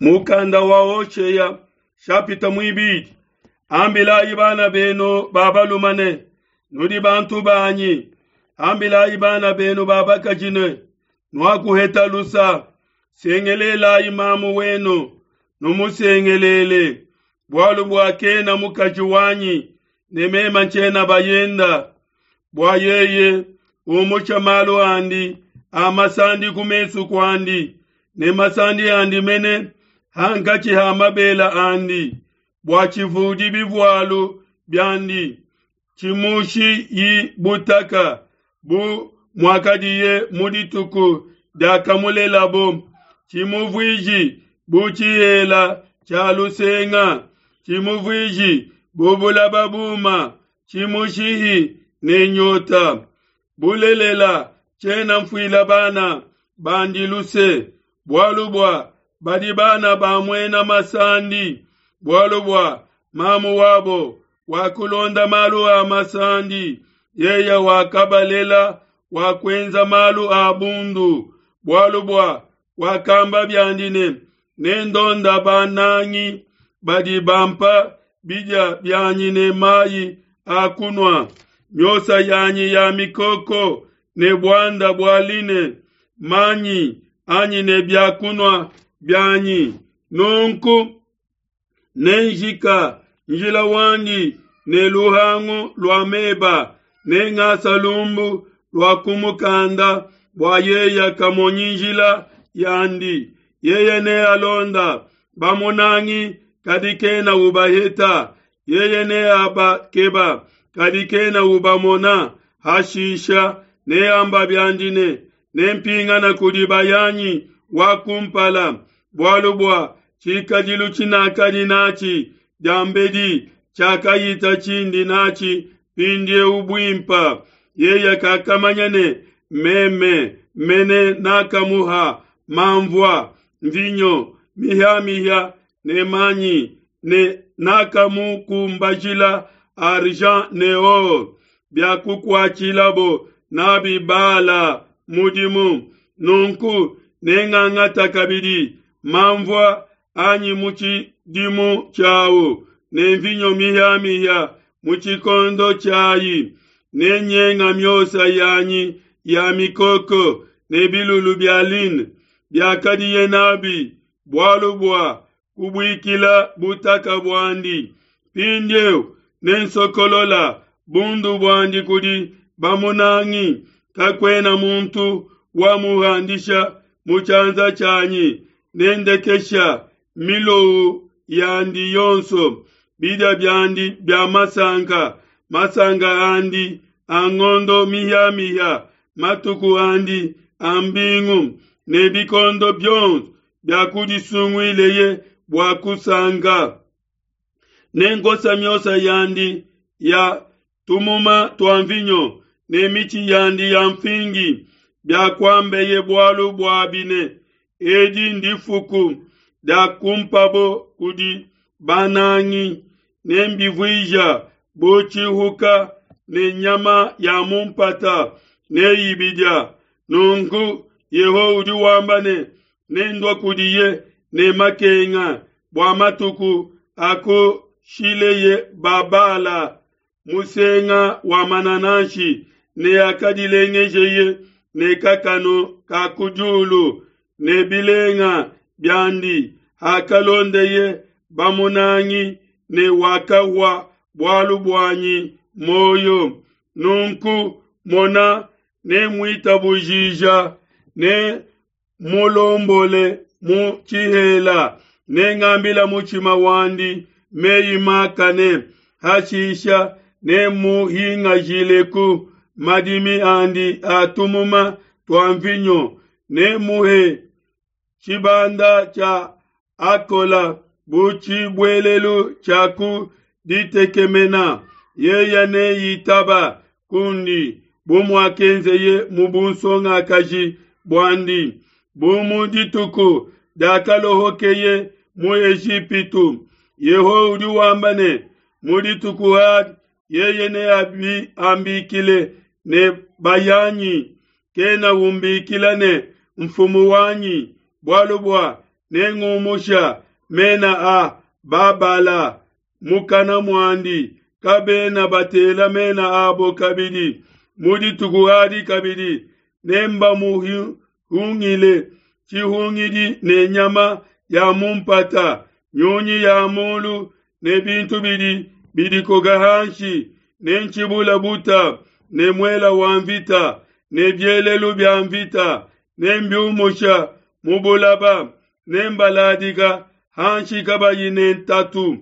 Mukanda wa Hoshea shapita muibidi. Ambilayi bana benu ba balume ne, nudi bantu banyi. Ambilayi bana benu ba bakaji ne, nuakuheta lusa. Sengelelayi mamu wenu, numusengelele, bualu bua kena mukaji wanyi ne mema ntshiena bayenda, bua yeye umusha malu andi a masandi ku mesu kuandi ne masandi andi mene hankatshi ha mabela andi, bua tshivudi bivualu biandi tshimushiyi butaka bu muakadiye mu dituku diakamulelabo, tshimuvuiji bu tshihela tshia lusenga, tshimuvuiji bu bulaba buma, tshimushihi ne nyota. Bulelela, tshiena mfuila bana bandi luse, bualu bua badi bana ba muena masandi, bualu bua mamu wabo wakulonda malu a masandi, yeye wakabalela wakuenza malu a bundu, bualu bua wakamba biandi ne, Nendonda banangi badi bampa bidia bianyi ne mayi a kunua, miosa yanyi ya mikoko ne buanda bua line, manyi anyi ne bia kunua bianyi. Nunku nenjika njila wandi ne luhangu lua meba, nengasa lumbu lua kumukanda bua yeye kamonyi njila yandi. Yeye nealonda bamunangi, kadi kena ubaheta. Yeye neabakeba, kadi kena ubamona. Hashisha neamba biandi ne, Nempingana kudi bayanyi wa kumpala, bualu bua tshikadilu tshinakadi natshi diambedi tshiakahita tshindi natshi mpindieu buimpe. Yeye kakamanya ne meme mene nakamuha manvua, nvinyo mihia-mihia ne manyi, ne nakamukumbajila argent ne or biakukuatshilabo n'abi Bala mudimu. Nunku nengangata kabidi manvua anyi mu tshidimu tshiau ne nvinyo mihia-mihia mu tshikondo tshiai, nenyenga miosa yanyi ya mikoko ne bilulu bia line biakadiye n'abi, bualu bua kubuikila butaka buandi. Mpindieu nensokolola bundu buandi kudi bamunangi, kakuena muntu wamuhandisha mu tshianza tshianyi. Nendekesha milowu yandi yonso, bidia biandi bia masanka, masanka andi a ngondo mihia-mihia, matuku andi a mbingu ne bikondo bionso biakudisunguileye bua kusanka. Nenkosa miosa yandi ya tumuma tua mvinyo ne mitshi yandi ya mfingi biakuambeye bualu buabi ne, Edi ndifuku diakumpabo kudi banangi, nembivuija bu tshihuka ne nyama ya mu mpata neyibidia. Nunku Yehowa udi wamba ne, Nendua kudiye ne makenga bua matuku akushileye Babala musenga wa manananshi ne akadilengejeye ne kakanu ka ku diulu ne bilenga biandi, hakalondeye bamunangi ne wakahua bualu buanyi muoyo. Nunku mona, nemuitabujija ne mulombole mu tshihela, nengambila mutshima wandi meyi makane. Hashisha nemuhingajileku madimi andi a tumuma tua mvinyo, nemuhe tshibanda tshia Akola bu tshibuelelu tshia ku ditekemena. Yeye neitaba kundi bu muakenzeye mu bunsongakaji buandi, bu mu dituku diakalohokeye mu Ejipitu. Yehowa udi wamba ne, Mu dituku adi yeye neambikile ne, Bayanyi, kena umbikila ne, Mfumu wanyi, bualu bua Nengumusha mena a Babala mukana muandi, kabena batela mena abo kabidi. Mu dituku adi kabidi nembamuhungile tshihungidi ne nyama ya mu mpata, nyunyi ya mulu ne bintu bidi bidikoka hanshi, nentshibula buta ne muela wa mvita ne bielelu bia mvita, nembiumusha mu bulaba, nembaladika hanshi kabayi ne ntatu,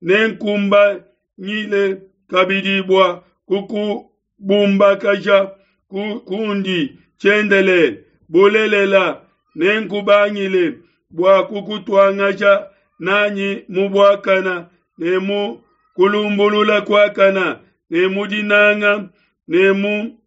nenkumbanyile kabidi bua kukubumbakaja ku, kundi tshiendelele. Bulelela, nenkubangile bua kukutuangaja nanyi mu buakana ne mu kulumbulula kuakana ne mu dinanga ne mu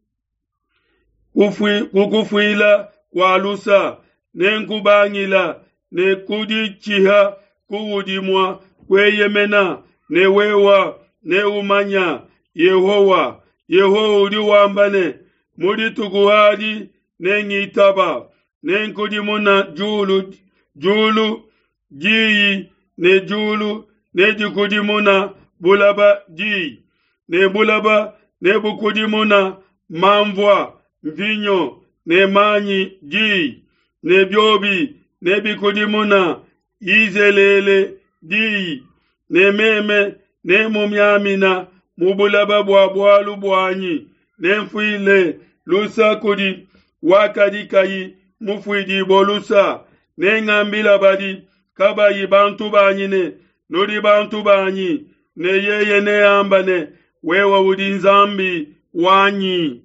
kukufuila kua lusa, nenkubangila ne kuditshiha kuudi mua kueyemena, ne wewa neumanya Yehowa. Yehowa udi wamba ne, mu dituku adi nengitaba, nenkudimuna diulu diulu diyi ne diulu nedikudimuna bulaba diyi, ne bulaba nebukudimuna mamvua, mvinyo ne manyi diyi, ne biobi nebikudimuna Yizelele diyi, ne meme nemumiamina mu bulaba bua bualu buanyi, nemfuile lusa kudi wakadi kayi mufuidibue lusa, nengambila badi kabayi bantu banyi ne, Nudi bantu banyi, ne yeye neamba ne, Wewe udi Nzambi wanyi.